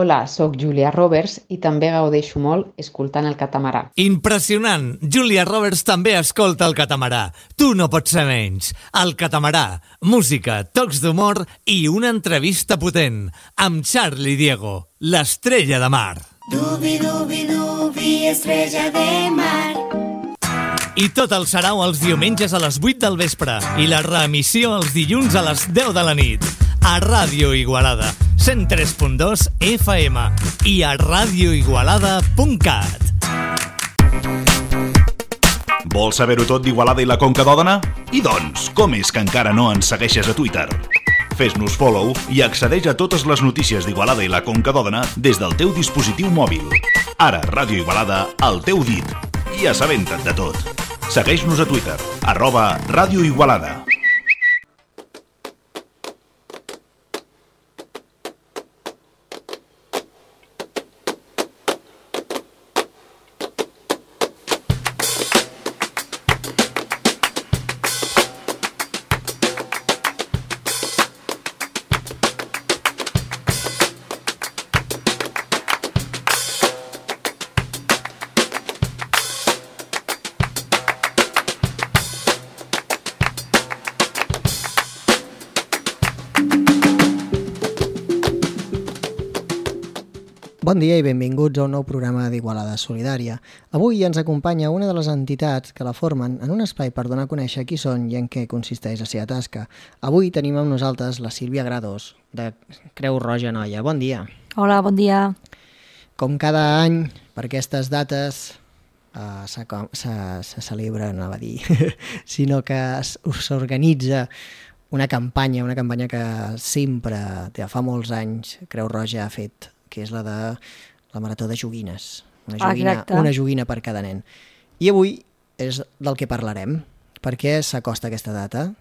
Hola, sóc Julia Roberts i també gaudeixo molt escoltant el catamarà. Impressionant! Julia Roberts també escolta el catamarà. Tu no pots ser menys. El catamarà, música, tocs d'humor i una entrevista potent amb Charlie Diego, l'estrella de mar. Dubi, dubi, dubi, estrella de mar. I tot el sarau els diumenges a les 8 del vespre i la reemissió els dilluns a les 10 de la nit. A Ràdio Igualada, 103.2 FM i a radioigualada.cat. Vols saber-ho tot d'Igualada i la Conca d'Òdena? I doncs, com és que encara no ens segueixes a Twitter? Fes-nos follow i accedeix a totes les notícies d'Igualada i la Conca d'Òdena des del teu dispositiu mòbil. Ara, Ràdio Igualada, al teu dit. I assabenta't de tot. Segueix-nos a Twitter, @radioigualada. Bon dia i benvinguts a un nou programa d'Igualada Solidària. Avui ens acompanya una de les entitats que la formen en un espai per donar a conèixer qui són i en què consisteix la seva tasca. Avui tenim amb nosaltres la Sílvia Grados, de Creu Roja Noia. Bon dia. Hola, bon dia. Com cada any, per aquestes dates se celebra, no va dir, sinó que s'organitza una campanya que sempre, fa molts anys, Creu Roja ha fet, que és la de la Marató de Joguines. Una joguina per cada nen. I avui és del que parlarem. Per què s'acosta aquesta data?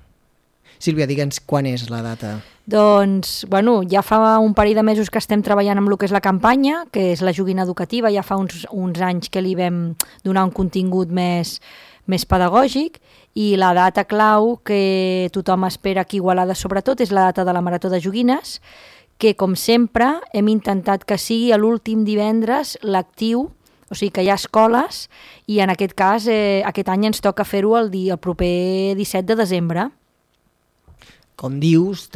Sílvia, digue'ns quan és la data. Doncs, ja fa un parell de mesos que estem treballant amb el que és la campanya, que és la joguina educativa. Ja fa uns anys que li vam donar un contingut més pedagògic, i la data clau que tothom espera aquí a Igualada sobretot és la data de la Marató de Joguines, que, com sempre, hem intentat que sigui l'últim divendres lectiu, o sigui que hi ha escoles, i en aquest cas, aquest any ens toca fer-ho el proper 17 de desembre. Com dius,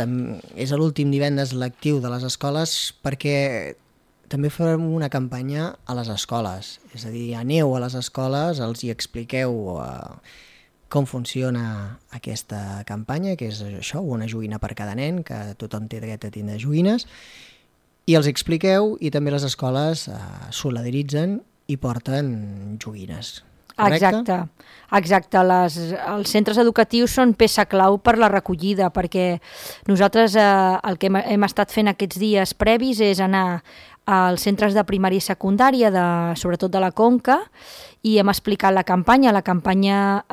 és l'últim divendres lectiu de les escoles perquè també farem una campanya a les escoles. És a dir, aneu a les escoles, els hi expliqueu com funciona aquesta campanya, que és això, una joguina per cada nen, que tothom té dret a tindre joguines, i els expliqueu i també les escoles solidaritzen i porten joguines. Correcte? Exacte. Els centres educatius són peça clau per la recollida, perquè nosaltres el que hem estat fent aquests dies previs és anar als centres de primària i secundària, sobretot de la Conca, i hem explicat la campanya. La campanya,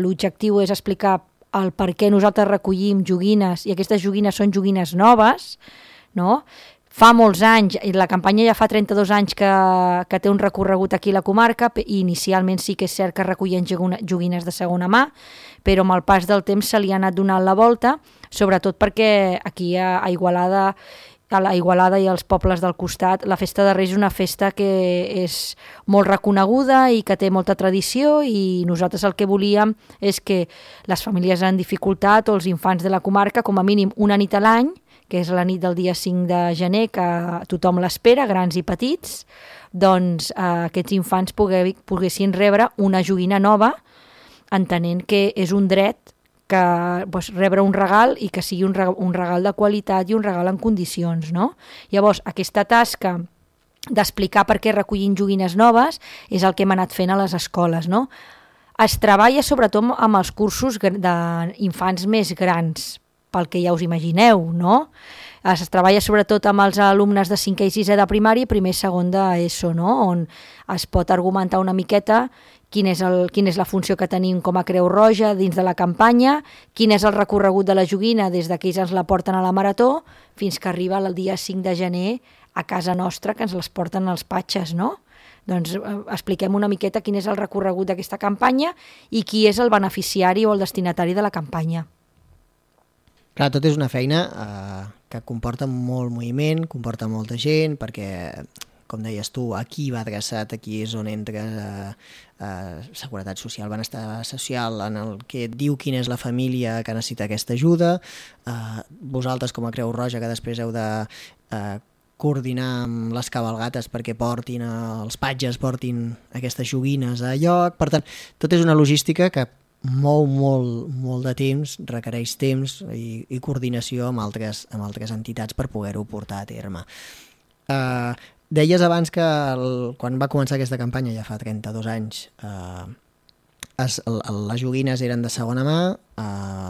l'objectiu és explicar el per què nosaltres recollim joguines, i aquestes joguines són joguines noves, no? Fa molts anys, la campanya ja fa 32 anys que té un recorregut aquí a la comarca, i inicialment sí que és cert que recollen joguines de segona mà, però amb el pas del temps se li ha anat donant la volta, sobretot perquè aquí a Igualada i als pobles del costat, la festa de Reis és una festa que és molt reconeguda i que té molta tradició, i nosaltres el que volíem és que les famílies en dificultat o els infants de la comarca, com a mínim una nit a l'any, que és la nit del dia 5 de gener, que tothom l'espera, grans i petits, doncs aquests infants poguessin rebre una joguina nova, entenent que és un dret rebre un regal i que sigui un regal de qualitat i un regal en condicions, no? Llavors, aquesta tasca d'explicar per què recollim joguines noves és el que hem anat fent a les escoles, no? Es treballa sobretot amb els cursos d'infants més grans, pel que ja us imagineu, no? Es treballa sobretot amb els alumnes de 5è i 6è de primària i primer i segon d'ESO, no? On es pot argumentar una miqueta quina és la funció que tenim com a Creu Roja dins de la campanya, quin és el recorregut de la joguina des que ells ens la porten a la Marató fins que arriba el dia 5 de gener a casa nostra, que ens les porten als patxes, no? Doncs expliquem una miqueta quin és el recorregut d'aquesta campanya i qui és el beneficiari o el destinatari de la campanya. Clar, tot és una feina que comporta molt moviment, comporta molta gent, perquè, com deies tu, aquí va adreçat, aquí és on entra Seguretat Social, Benestar Social, en el que et diu quina és la família que necessita aquesta ajuda. Vosaltres, com a Creu Roja, que després heu de coordinar amb les cabalgates perquè portin, els patges portin aquestes joguines a lloc. Per tant, tot és una logística que mou molt de temps, requereix temps i coordinació amb altres entitats per poder-ho portar a terme. Deies abans que quan va començar aquesta campanya, ja fa 32 anys, les joguines eren de segona mà,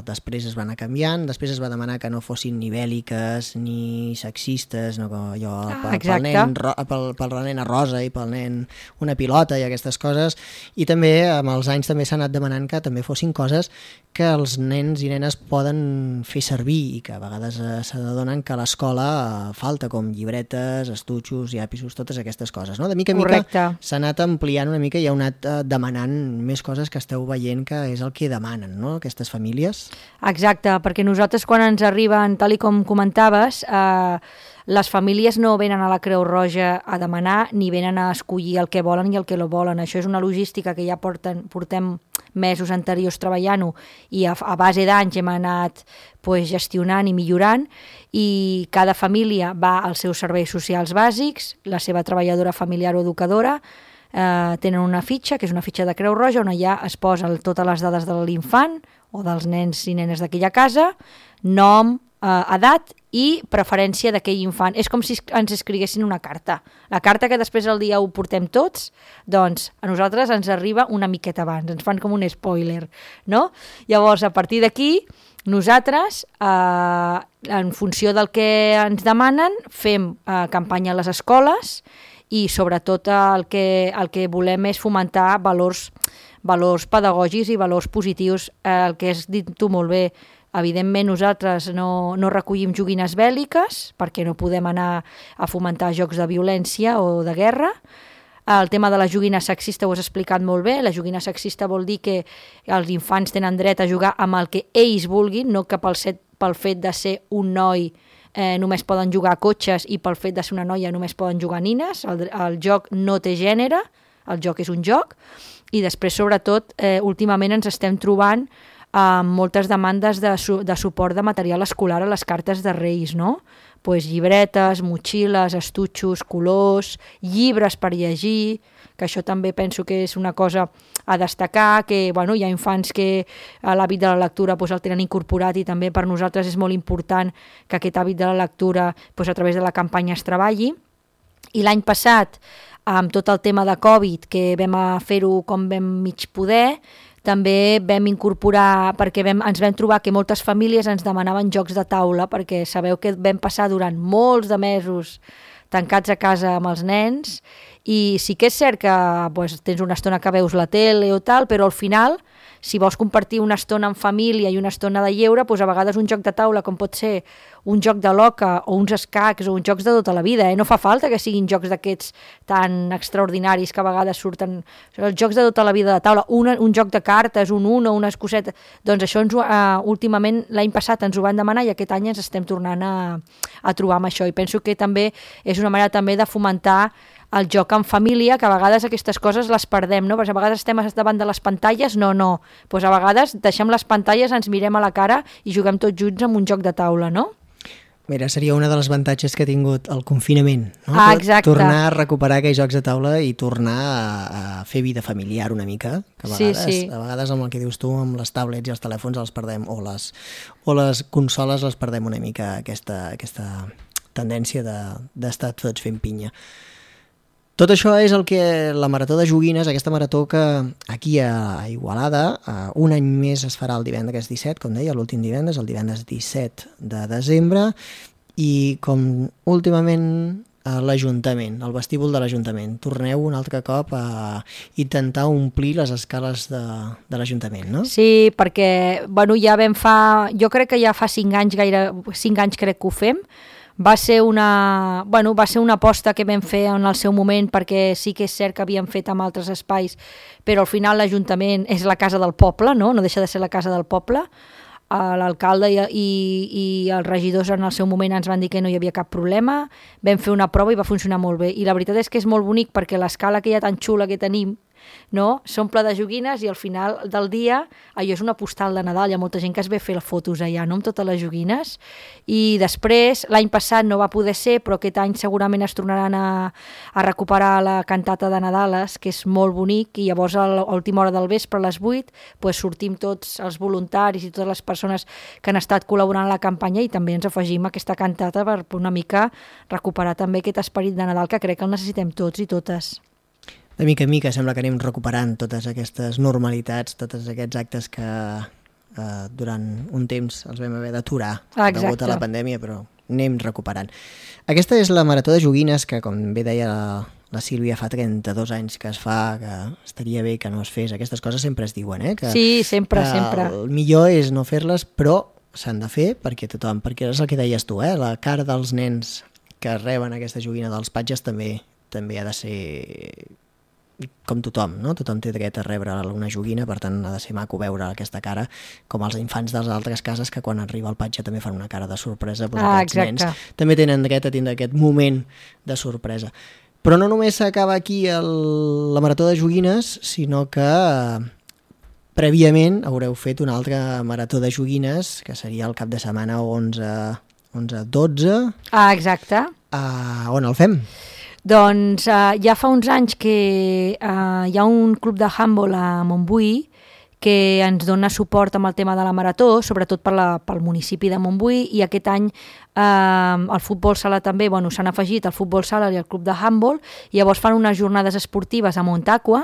després es van anar canviant, després es va demanar que no fossin ni bèl·liques ni sexistes, no, allò, pel nen a rosa i pel nen una pilota i aquestes coses, i també amb els anys també s'ha anat demanant que també fossin coses que els nens i nenes poden fer servir i que a vegades s'adonen que a l'escola falta, com llibretes, estutxos, llapisos, totes aquestes coses, no? De mica en mica s'ha anat ampliant una mica i heu anat demanant més coses que esteu veient que és el que demanen, no?, aquestes famílies. Exacte, perquè nosaltres quan ens arriben, tal i com comentaves, les famílies no venen a la Creu Roja a demanar ni venen a escollir el que volen i el que no volen. Això és una logística que ja portem mesos anteriors treballant-ho i a base d'anys hem anat gestionant i millorant, i cada família va als seus serveis socials bàsics, la seva treballadora familiar o educadora, tenen una fitxa, que és una fitxa de Creu Roja, on allà es posen totes les dades de l'infant o dels nens i nenes d'aquella casa, nom, edat i preferència d'aquell infant. És com si ens escriguessin una carta. La carta que després el dia ho portem tots, doncs a nosaltres ens arriba una miqueta abans, ens fan com un spoiler, no? Llavors, a partir d'aquí, nosaltres, en funció del que ens demanen, fem campanya a les escoles i sobretot el que volem és fomentar valors pedagògics i valors positius. El que has dit tu molt bé, evidentment nosaltres no recollim joguines bèl·liques perquè no podem anar a fomentar jocs de violència o de guerra. El tema de la joguina sexista ho has explicat molt bé. La joguina sexista vol dir que els infants tenen dret a jugar amb el que ells vulguin, no que pel fet de ser un noi només poden jugar a cotxes i pel fet de ser una noia només poden jugar a nines. El joc no té gènere, el joc és un joc. I després, sobretot, últimament ens estem trobant amb moltes demandes de suport de material escolar a les cartes de Reis, no? Llibretes, motxilles, estutxos, colors, llibres per llegir, que això també penso que és una cosa a destacar, que hi ha infants que l'hàbit de la lectura el tenen incorporat i també per nosaltres és molt important que aquest hàbit de la lectura a través de la campanya es treballi. I l'any passat, amb tot el tema de Covid, que vam fer-ho com vam mig poder, també vam incorporar, perquè ens vam trobar que moltes famílies ens demanaven jocs de taula, perquè sabeu que vam passar durant molts de mesos tancats a casa amb els nens, i sí que és cert que tens una estona que veus la tele o tal, però al final, si vols compartir una estona en família i una estona de lleure, a vegades un joc de taula, com pot ser un joc de l'oca o uns escacs o uns jocs de tota la vida, no fa falta que siguin jocs d'aquests tan extraordinaris que a vegades surten, els jocs de tota la vida de taula, un joc de cartes, un uno, unes cosetes, doncs això últimament l'any passat ens ho van demanar i aquest any ens estem tornant a trobar amb això, i penso que també és una manera també de fomentar el joc en família, que a vegades aquestes coses les perdem, no? Perquè a vegades estem davant de les pantalles, no. A vegades deixem les pantalles, ens mirem a la cara i juguem tots junts amb un joc de taula, no? Mira, seria un dels avantatges que ha tingut el confinament, no? Exacte. Tornar a recuperar aquells jocs de taula i tornar a fer vida familiar una mica, que a vegades amb el que dius tu, amb les tablets i els telèfons els perdem, o les consoles les perdem una mica, aquesta tendència d'estar tots fent pinya. Tot això és el que la Marató de Joguines, aquesta marató que aquí a Igualada, un any més es farà el divendres 17, com deia, l'últim divendres, el divendres 17 de desembre, i com últimament l'Ajuntament, el vestíbul de l'Ajuntament, torneu un altre cop a intentar omplir les escales de l'Ajuntament, no? Sí, perquè ja jo crec que ja fa 5 anys crec que ho fem. Va ser una aposta que vam fer en el seu moment, perquè sí que és cert que havíem fet amb altres espais, però al final l'Ajuntament és la casa del poble, no deixa de ser la casa del poble. l'alcalde i els regidors en el seu moment ens van dir que no hi havia cap problema, vam fer una prova i va funcionar molt bé. I la veritat és que és molt bonic perquè l'escala aquella tan xula que tenim, no? S'omple de joguines i al final del dia allò és una postal de Nadal, hi ha molta gent que es ve a fer fotos allà, no?, amb totes les joguines. I després, l'any passat no va poder ser, però aquest any segurament es tornaran a recuperar la cantata de Nadales, que és molt bonic, i llavors a l'última hora del vespre, a les 8, pues, sortim tots els voluntaris i totes les persones que han estat col·laborant a la campanya i també ens afegim a aquesta cantata per una mica recuperar també aquest esperit de Nadal que crec que el necessitem tots i totes. De mica en mica sembla que anem recuperant totes aquestes normalitats, tots aquests actes que durant un temps els vam haver d'aturar degut a la pandèmia, però anem recuperant. Aquesta és la Marató de Joguines que, com bé deia la Sílvia, fa 32 anys que es fa, que estaria bé que no es fes. Aquestes coses sempre es diuen, que sí, sempre. El millor és no fer-les, però s'han de fer perquè tothom, perquè és el que deies tu, la cara dels nens que reben aquesta joguina dels patges també ha de ser com tothom, no? Tothom té dret a rebre una joguina, per tant ha de ser maco veure aquesta cara, com els infants de les altres cases que quan arriba el patge també fan una cara de sorpresa, doncs aquests nens també tenen dret a tindre aquest moment de sorpresa. Però no només s'acaba aquí la Marató de Joguines, sinó que prèviament haureu fet una altra Marató de Joguines, que seria el cap de setmana 11-12. Exacte. On el fem? Doncs ja fa uns anys que hi ha un club de handball a Montbui que ens dona suport amb el tema de la marató, sobretot pel municipi de Montbui, i aquest any el futbol sala també, s'han afegit el futbol sala i el club de handball, i llavors fan unes jornades esportives a Montaqua,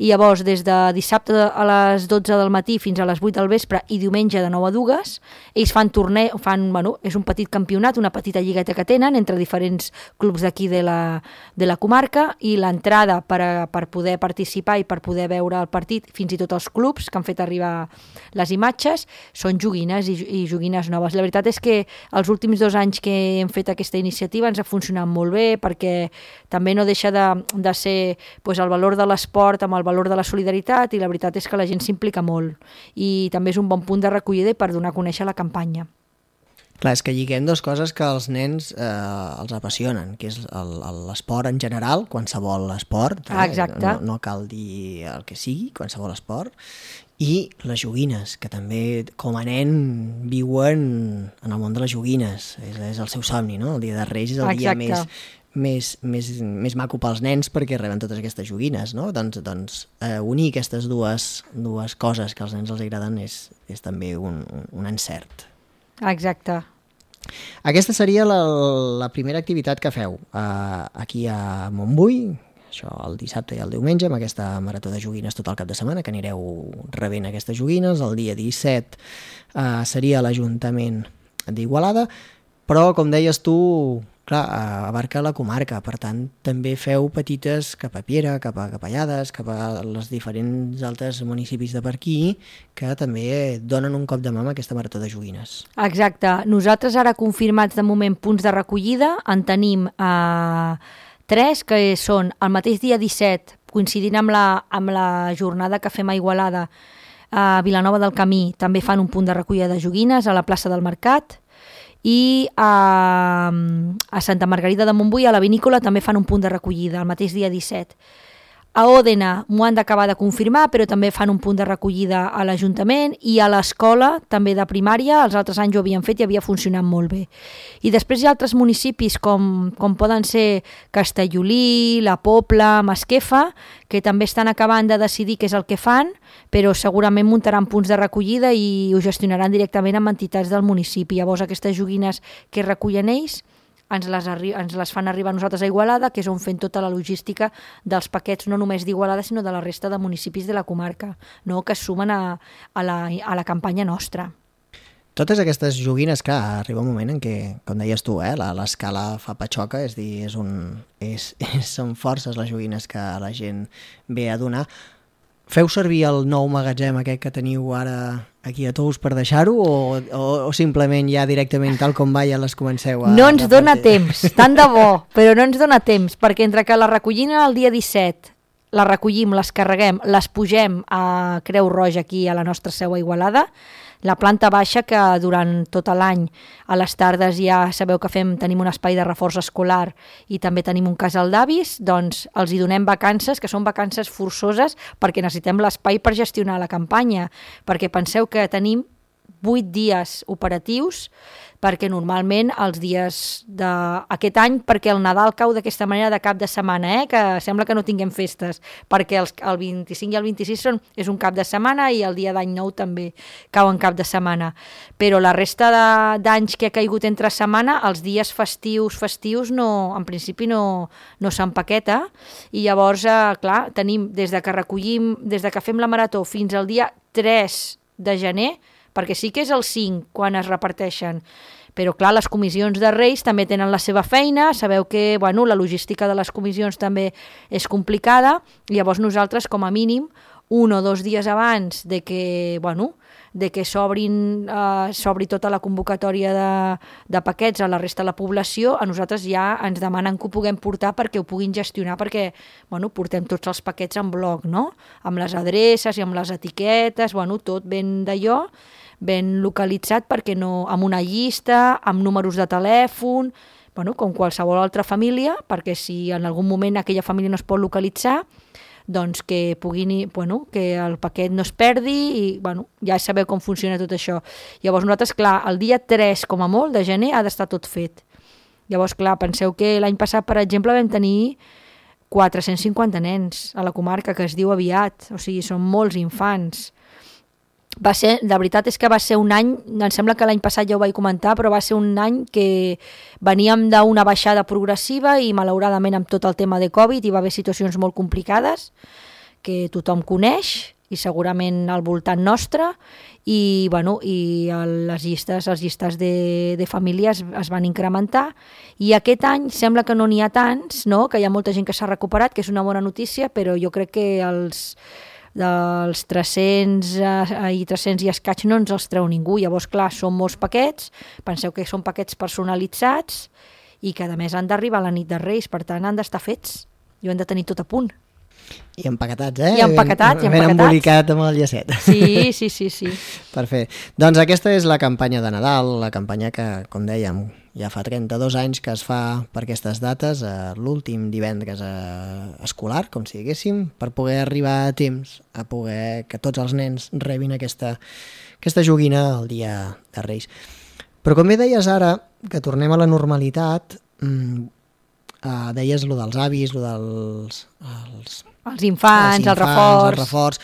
i llavors des de dissabte a les 12 del matí fins a les 8 del vespre i diumenge de 9 a 2, ells fan torneig, és un petit campionat, una petita lligueta que tenen entre diferents clubs d'aquí de la comarca, i l'entrada per poder participar i per poder veure el partit, fins i tot els clubs que han fet arribar les imatges, són joguines i joguines noves. La veritat és que els últims 2 anys que hem fet aquesta iniciativa ens ha funcionat molt bé, perquè també no deixa de ser el valor de l'esport amb el valor de la solidaritat, i la veritat és que la gent s'implica molt i també és un bon punt de recollida i per donar a conèixer la campanya. Clar, és que lliguem dues coses que als nens els apassionen, que és l'esport en general, qualsevol esport, Exacte. No cal dir el que sigui, qualsevol esport, i les joguines, que també com a nen viuen en el món de les joguines, és el seu somni, no? El dia de Reis és el dia més maco pels nens perquè reben totes aquestes joguines, no? Doncs unir aquestes dues coses que als nens els agraden és també un encert. Exacte. Aquesta seria la primera activitat que feu aquí a Montbui, això el dissabte i el diumenge, amb aquesta marató de joguines tot el cap de setmana, que anireu rebent aquestes joguines. El dia 17 seria l'Ajuntament d'Igualada, però, com deies tu, clar, abarca la comarca, per tant, també feu petites cap a Piera, cap a Capellades, cap a els diferents altres municipis de per aquí, que també donen un cop de mà amb aquesta marató de joguines. Exacte. Nosaltres ara confirmats de moment punts de recollida, en tenim 3, que són el mateix dia 17, coincidint amb la jornada que fem a Igualada, a Vilanova del Camí també fan un punt de recollida de joguines a la plaça del Mercat, i a Santa Margarida de Montbui, a la vinícola, també fan un punt de recollida el mateix dia 17. A Òdena m'ho han d'acabar de confirmar, però també fan un punt de recollida a l'Ajuntament, i a l'escola, també de primària, els altres anys ho havien fet i havia funcionat molt bé. I després hi ha altres municipis com poden ser Castellolí, La Pobla, Masquefa, que també estan acabant de decidir què és el que fan, però segurament muntaran punts de recollida i ho gestionaran directament amb entitats del municipi. Llavors aquestes joguines que recullen ells ens les fan arribar a nosaltres a Igualada, que és on fem tota la logística dels paquets, no només d'Igualada, sinó de la resta de municipis de la comarca, no? Que es sumen a la campanya nostra. Totes aquestes joguines, clar, arriba un moment en què, com deies tu, l'escala fa patxoca, és dir, són forces les joguines que la gent ve a donar. Feu servir el nou magatzem aquest que teniu ara aquí a Tous per deixar-ho o simplement ja directament tal com va ja les comenceu a... No ens dona temps, tant de bo, però no ens dona temps, perquè entre que la recollim el dia 17, la recollim, les carreguem, les pugem a Creu Roja aquí a la nostra seu a Igualada, La planta baixa, que durant tot l'any a les tardes ja sabeu que tenim un espai de reforç escolar i també tenim un casal d'avis, doncs els hi donem vacances, que són vacances forçoses perquè necessitem l'espai per gestionar la campanya, perquè penseu que tenim 8 dies operatius, perquè normalment els dies d'aquest any, perquè el Nadal cau d'aquesta manera de cap de setmana, que sembla que no tinguem festes, perquè el 25 i el 26 és un cap de setmana i el dia d'any nou també cau en cap de setmana. Però la resta d'anys que ha caigut entre setmana, els dies festius no, en principi no s'empaqueta, i llavors, clar, tenim des de que fem la marató fins al dia 3 de gener, perquè sí que és el 5 quan es reparteixen, però clar, les comissions de Reis també tenen la seva feina, sabeu que la logística de les comissions també és complicada, i llavors nosaltres com a mínim 1 o 2 dies abans de que s'obri tota la convocatòria de paquets a la resta de la població, a nosaltres ja ens demanen que ho puguem portar perquè ho puguin gestionar, perquè portem tots els paquets en bloc, no? Amb les adreces i amb les etiquetes, tot ben d'allò, ben localitzat, perquè no, amb una llista, amb números de telèfon, com qualsevol altra família, perquè si en algun moment aquella família no es pot localitzar, doncs que que el paquet no es perdi, i ja sabeu com funciona tot això. Llavors nosaltres, clar, el dia 3 com a molt de gener ha d'estar tot fet. Llavors, clar, penseu que l'any passat, per exemple, vam tenir 450 nens a la comarca, que es diu aviat, o sigui, són molts infants. La veritat és que va ser un any, em sembla que l'any passat ja ho vaig comentar, però va ser un any que veníem d'una baixada progressiva i malauradament amb tot el tema de Covid hi va haver situacions molt complicades que tothom coneix i segurament al voltant nostre, i les llistes de famílies es van incrementar, i aquest any sembla que no n'hi ha tants, no? Que hi ha molta gent que s'ha recuperat, que és una bona notícia, però jo crec que dels 300 i escaig no ens els treu ningú. Llavors, clar, són molts paquets, penseu que són paquets personalitzats i que a més han d'arribar a la nit de Reis, per tant han d'estar fets i ho han de tenir tot a punt. I empaquetats, I empaquetats. Ben embolicat amb el llacet. Sí. Perfecte. Doncs aquesta és la campanya de Nadal, la campanya que, com dèiem, ja fa 32 anys que es fa per aquestes dates, l'últim divendres escolar, com si diguéssim, per poder arribar a temps, a poder que tots els nens rebin aquesta joguina el dia de Reis. Però com bé deies ara, que tornem a la normalitat, deies lo dels avis, lo dels... Els infants, el reforç.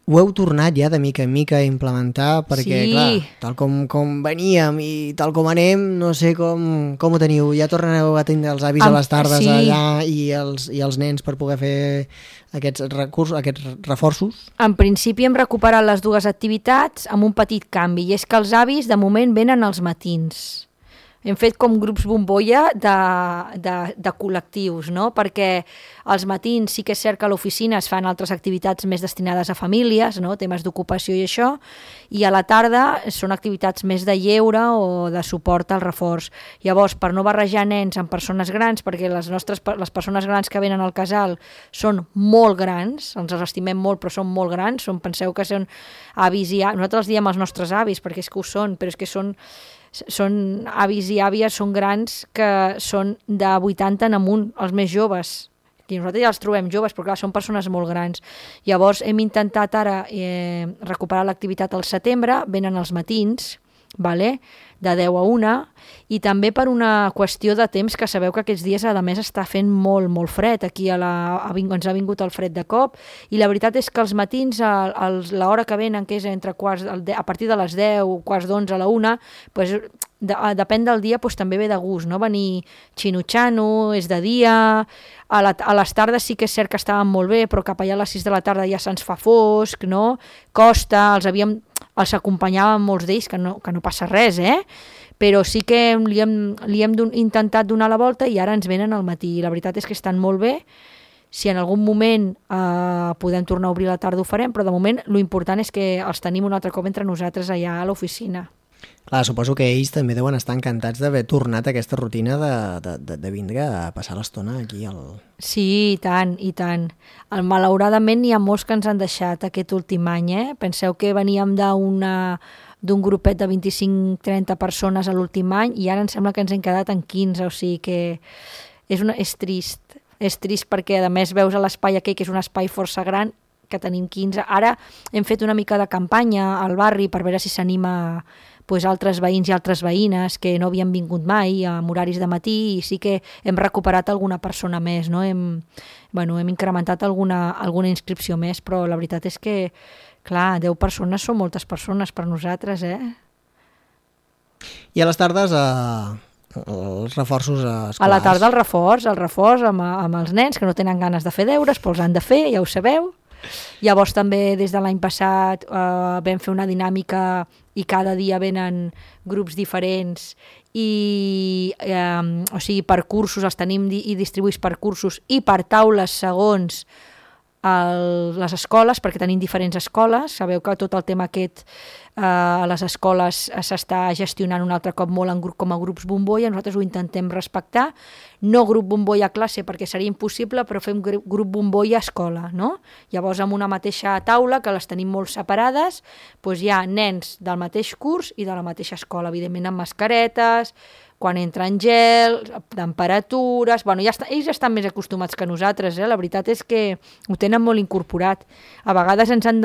Ho heu tornat ja de mica en mica a implementar, perquè, clar, tal com veníem i tal com anem, no sé com ho teniu. Ja tornareu a tenir els avis a les tardes allà i els nens per poder fer aquests reforços? En principi hem recuperat les dues activitats amb un petit canvi, i és que els avis de moment venen als matins. Hem fet com grups bombolla de col·lectius, no? Perquè als matins sí que és cert que a l'oficina es fan altres activitats més destinades a famílies, no? Temes d'ocupació i això, i a la tarda són activitats més de lleure o de suport al reforç. Llavors, per no barrejar nens amb persones grans, perquè les persones grans que venen al casal són molt grans, ens els estimem molt, però són molt grans, penseu que són avis i àvies, nosaltres els diem els nostres avis, perquè és que ho són, però és que són avis i àvies, són grans, que són de 80 en amunt, els més joves. I nosaltres ja els trobem joves, però clar, són persones molt grans. Llavors hem intentat ara recuperar l'activitat al setembre, venen els matins, de 10 a 1, i també per una qüestió de temps, que sabeu que aquests dies a més està fent molt, molt fred. Aquí ens ha vingut el fred de cop, i la veritat és que els matins, l'hora que venen, que és a partir de les 10, quarts d'11 a la 1, doncs, depèn del dia, doncs, també ve de gust, no? Venir xinutxano, és de dia, a les tardes sí que és cert que estaven molt bé, però cap allà a les 6 de la tarda ja se'ns fa fosc, no? Costa, els acompanyàvem molts d'ells, que no passa res, però sí que li hem intentat donar la volta i ara ens venen al matí. La veritat és que estan molt bé. Si en algun moment podem tornar a obrir la tarda ho farem, però de moment l'important és que els tenim un altre cop entre nosaltres allà a l'oficina. Clar, suposo que ells també deuen estar encantats d'haver tornat a aquesta rutina de vindre a passar l'estona aquí Sí, i tant. Malauradament hi ha molts que ens han deixat aquest últim any. Penseu que veníem d'una d'un grupet de 25-30 persones a l'últim any i ara em sembla que ens hem quedat en 15, o sigui que és trist. És trist perquè a més veus a l'espai aquell, que és un espai força gran, que tenim 15. Ara hem fet una mica de campanya al barri per veure si s'anima altres veïns i altres veïnes que no havien vingut mai amb horaris de matí i sí que hem recuperat alguna persona més, no? Hem incrementat alguna inscripció més, però la veritat és que, clar, 10 persones són moltes persones per nosaltres, I a les tardes els reforços escolars. A la tarda el reforç amb els nens que no tenen ganes de fer deures, però els han de fer, ja ho sabeu. Llavors també des de l'any passat vam fer una dinàmica i cada dia venen grups diferents i o sigui, per cursos els tenim i distribuïts per cursos i per taules segons les escoles, perquè tenim diferents escoles. Sabeu que tot el tema aquest a les escoles s'està gestionant un altre cop molt com a grups bombolla, nosaltres ho intentem respectar, no grup bombolla a classe perquè seria impossible, però fem grup bombolla a escola, no? Llavors amb una mateixa taula, que les tenim molt separades, doncs hi ha nens del mateix curs i de la mateixa escola, evidentment amb mascaretes, quan entren gel, temperatures... ells estan més acostumats que nosaltres, la veritat és que ho tenen molt incorporat. A vegades ens han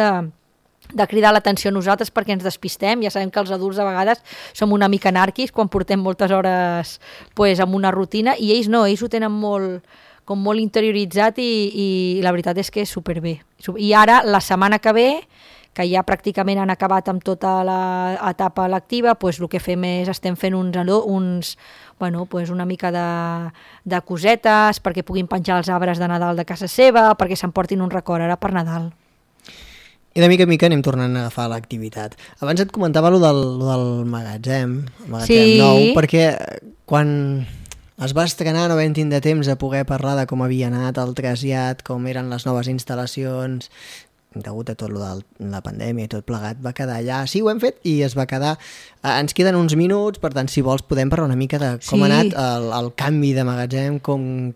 de cridar l'atenció a nosaltres perquè ens despistem. Ja sabem que els adults a vegades som una mica anàrquics quan portem moltes hores amb una rutina i ells no, ells ho tenen molt interioritzat i la veritat és que és superbé. I ara, la setmana que ve, que ja pràcticament han acabat amb tota l'etapa lectiva, el que fem és estem fent una mica de cosetes perquè puguin penjar els arbres de Nadal de casa seva, perquè s'emportin un record ara per Nadal. I de mica en mica anem tornant a agafar l'activitat. Abans et comentava lo del magatzem nou, perquè quan es va estrenar no vam tindre temps de poder parlar de com havia anat el trasllat, com eren les noves instal·lacions, degut a tot lo de la pandèmia i tot plegat, va quedar allà. Sí, ho hem fet i es va quedar. Ens queden uns minuts, per tant, si vols, podem parlar una mica de com ha anat el canvi de magatzem, quin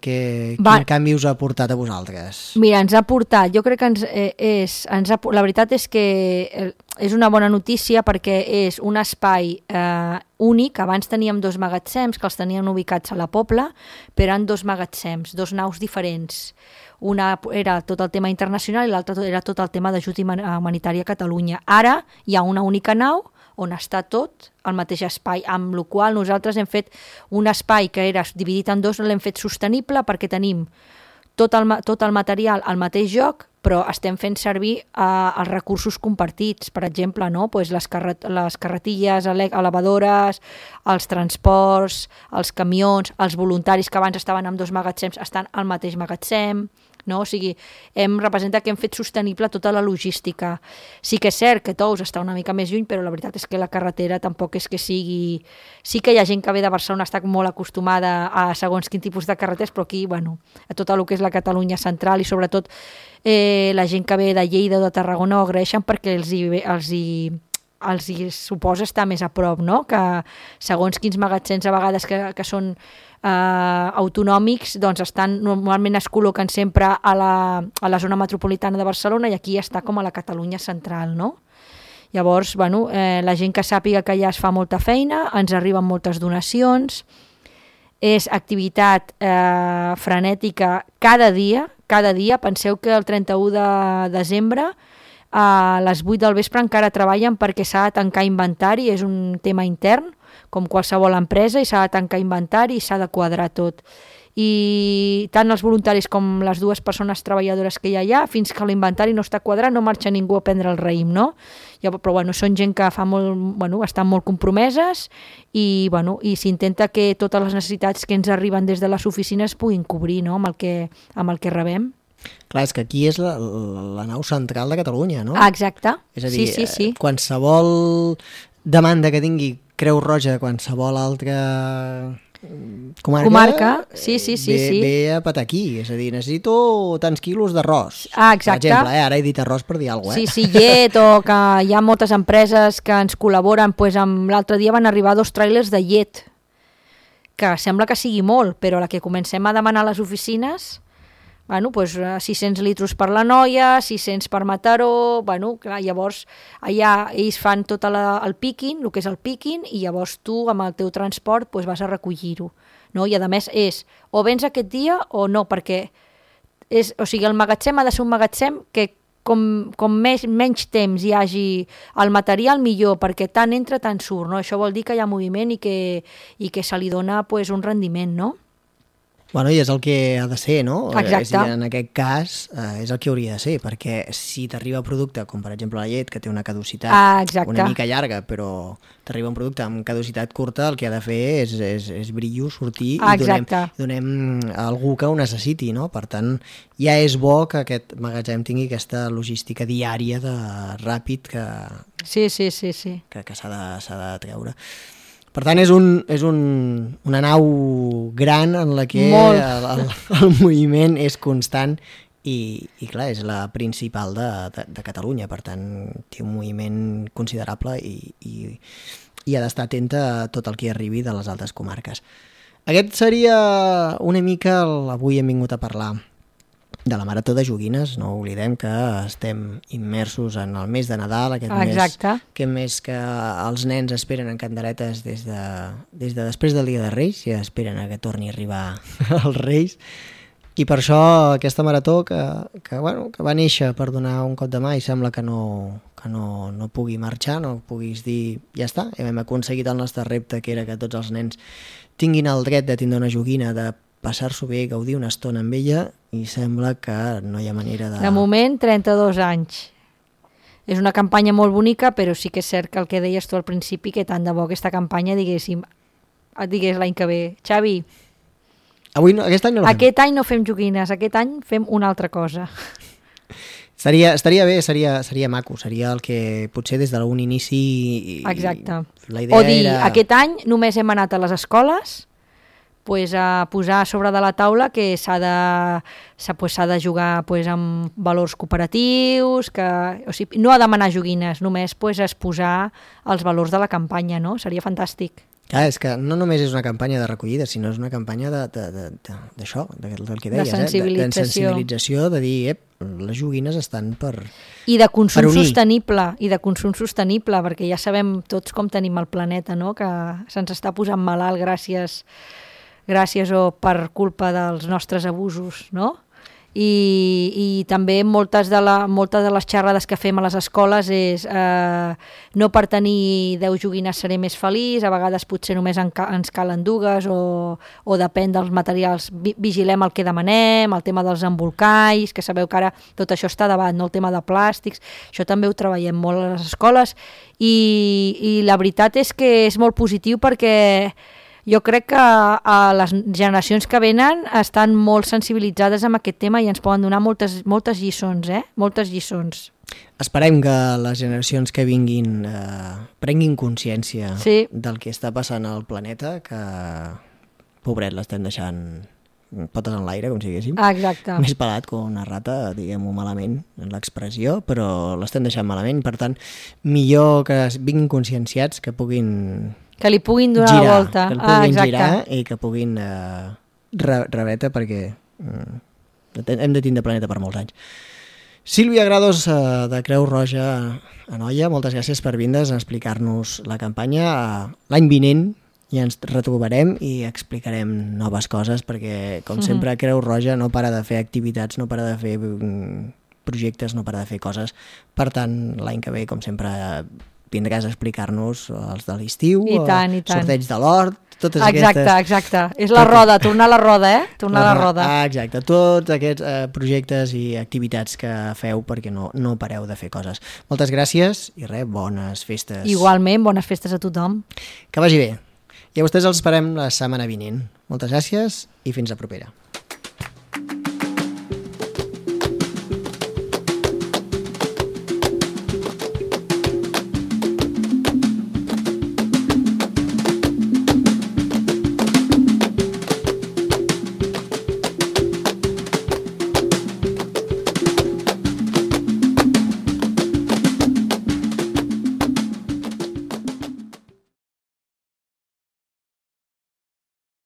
canvi us ha portat a vosaltres. Mira, ens ha portat, jo crec que la veritat és que és una bona notícia perquè és un espai únic. Abans teníem 2 magatzems que els teníem ubicats a la Pobla, però eren 2 magatzems, 2 naus diferents. Una era tot el tema internacional i l'altra era tot el tema d'ajut humanitari a Catalunya. Ara hi ha una única nau on està tot al mateix espai, amb la qual nosaltres hem fet un espai que era dividit en 2, l'hem fet sostenible perquè tenim tot el material al mateix lloc, però estem fent servir els recursos compartits, per exemple, no? Les carretilles, elevadores, els transports, els camions, els voluntaris que abans estaven en 2 magatzems estan al mateix magatzem, no? O sigui, representa que hem fet sostenible tota la logística. Sí que és cert que Tous està una mica més lluny, però la veritat és que la carretera tampoc és que sigui... Sí que hi ha gent que ve de Barcelona, està molt acostumada a segons quin tipus de carreteres, però aquí, a tot el que és la Catalunya central i sobretot la gent que ve de Lleida o de Tarragona ho agraeixen perquè els hi suposa estar més a prop, no? Que segons quins magatzems a vegades que són autonòmics, doncs normalment es col·loquen sempre a la zona metropolitana de Barcelona i aquí està com a la Catalunya central, no? Llavors, la gent que sàpiga que ja es fa molta feina, ens arriben moltes donacions, és activitat frenètica cada dia. Penseu que el 31 de desembre a les 8 del vespre encara treballen perquè s'ha de tancar inventari, és un tema intern, com qualsevol empresa, i s'ha de tancar inventari i s'ha de quadrar tot. I tant els voluntaris com les 2 persones treballadores que hi ha allà, fins que l'inventari no està quadrat no marxa ningú a prendre el raïm, no? Però són gent que estan molt compromeses i s'intenta que totes les necessitats que ens arriben des de les oficines puguin cobrir, no? amb el que rebem. Clar, és que aquí és la nau central de Catalunya, no? Exacte. És a dir, sí. Qualsevol demanda que tingui Creu Roja, qualsevol altra comarca sí. ve a patar aquí, és a dir, necessito tants quilos d'arròs. Exacte. Per exemple, ara he dit arròs per dir alguna cosa. Sí, llet, o que hi ha moltes empreses que ens col·laboren, l'altre dia van arribar 2 tràilers de llet, que sembla que sigui molt, però la que comencem a demanar a les oficines Bueno, doncs 600 litros per la Noia, 600 per Mataró, bueno, clar, llavors allà ells fan tot el picking, el que és el picking, i llavors tu amb el teu transport doncs vas a recollir-ho. No? I a més és, o vens aquest dia o no, perquè o sigui, el magatzem ha de ser un magatzem que com menys temps hi hagi el material millor, perquè tant entra tant surt, no? Això vol dir que hi ha moviment i que se li dona pues, un rendiment, no? Bueno, i és el que ha de ser, no? Exacte. En aquest cas és el que hauria de ser, perquè si t'arriba producte, com per exemple la llet, que té una caducitat una mica llarga, però t'arriba un producte amb caducitat curta, el que ha de fer és brillo, sortir i donem a algú que ho necessiti, no? Per tant, ja és bo que aquest magatzem tingui aquesta logística diària de ràpid que s'ha de treure. Per tant, és una nau gran en la que el moviment és constant i clar, és la principal de Catalunya, per tant, té un moviment considerable i ha d'estar atenta a tot el que arribi de les altres comarques. Aquest seria una mica avui hem vingut a parlar de la Marató de Joguines. No oblidem que estem immersos en el mes de Nadal, aquest mes que els nens esperen en canderetes des de després del Dia de Reis, i esperen a que torni a arribar els Reis. I per això aquesta marató que va néixer per donar un cop de mà i sembla que no pugui marxar, no puguis dir ja està, hem aconseguit el nostre repte, que era que tots els nens tinguin el dret de tindre una joguina, de passar-s'ho bé, gaudir una estona amb ella, i sembla que no hi ha manera de... De moment, 32 anys. És una campanya molt bonica, però sí que és cert que el que deies tu al principi, que tant de bo aquesta campanya, digués l'any que ve. Xavi, aquest any no la fem. Aquest any no fem joguines, aquest any fem una altra cosa. Estaria bé, seria maco, seria el que potser des d'un inici... Exacte. La idea o dir, era... aquest any només hem anat a les escoles a posar sobre de la taula que s'ha de jugar amb valors cooperatius, o sigui, no ha de demanar joguines, només exposar els valors de la campanya, no? Seria fantàstic. Clar, és que no només és una campanya de recollida, sinó és una campanya d'això, del que deies, de sensibilització, de dir, les joguines estan per unir. I de consum sostenible, perquè ja sabem tots com tenim el planeta, no? Que se'ns està posant malalt gràcies o per culpa dels nostres abusos, no? I també moltes de les xerrades que fem a les escoles és no per tenir 10 joguines seré més feliç, a vegades potser només ens calen dues o depèn dels materials, vigilem el que demanem, el tema dels embolcalls, que sabeu que ara tot això està davant, no? El tema de plàstics, això també ho treballem molt a les escoles i la veritat és que és molt positiu perquè jo crec que les generacions que venen estan molt sensibilitzades amb aquest tema i ens poden donar moltes lliçons, moltes lliçons. Esperem que les generacions que vinguin prenguin consciència del que està passant al planeta, que, pobret, l'estem deixant potes en l'aire, com si diguéssim. Exacte. Més pelat com una rata, diguem-ho malament, en l'expressió, però l'estem deixant malament. Per tant, millor que vinguin conscienciats, que puguin... Que li puguin donar la volta. Que el puguin girar i que puguin rebetre, perquè hem de tindre planeta per molts anys. Sílvia Grados, de Creu Roja Anoia, moltes gràcies per vindre's a explicar-nos la campanya. L'any vinent ja ens retrobarem i explicarem noves coses, perquè, com sempre, Creu Roja no para de fer activitats, no para de fer projectes, no para de fer coses. Per tant, l'any que ve, com sempre, vindràs a explicar-nos els de l'estiu, sorteig de l'hort, totes aquestes... Exacte. És la roda, tornar a la roda, Tornar a la roda. Exacte, tots aquests projectes i activitats que feu perquè no pareu de fer coses. Moltes gràcies i bones festes. Igualment, bones festes a tothom. Que vagi bé. I a vostès els esperem la setmana vinent. Moltes gràcies i fins a propera.